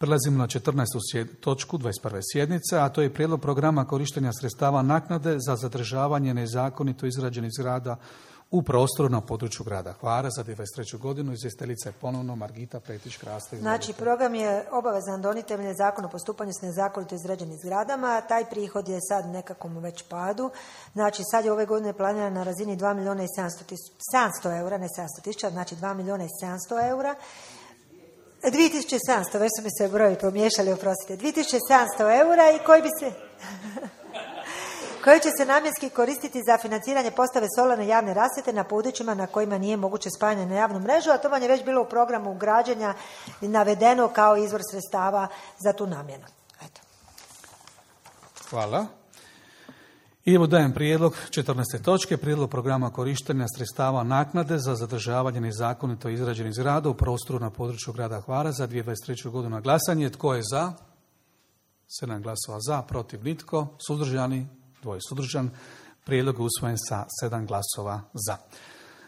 Prelazimo na 14. točku 21. sjednice, a to je prijedlog programa korištenja sredstava naknade za zadržavanje nezakonito izgrađenih zgrada u prostoru na području grada Hvara za 2023. godinu. Izvjestiteljica je ponovno Margita Pretić-Krasta. Znači, program je obavezan donijeti temeljem Zakona o postupanju s nezakonito izgrađenim zgradama. Taj prihod je sad nekakvom već padu. Znači, sad je ove godine planiran na razini 2 milijuna i 700 eura, ne 700 tisuća, znači 2 milijuna i 700 eura. 2700, već su mi se broji pomiješali, oprostite. 2700 eura i koji će se namjenski koristiti za financiranje postave solarne javne rasvjete na područjima na kojima nije moguće spajanje na javnu mrežu, a to vam je već bilo u programu građenja navedeno kao izvor sredstava za tu namjenu. Eto. Hvala. I evo dajem prijedlog 14. točke, prijedlog programa korištenja sredstava naknade za zadržavanje nezakonito izgrađenih zgrada u prostoru na području grada Hvara za 2023. godinu na glasanje. Tko je za? 7 glasova za, protiv nitko, suzdržani, 2 suzdržan. Prijedlog je usvojen sa 7 glasova za.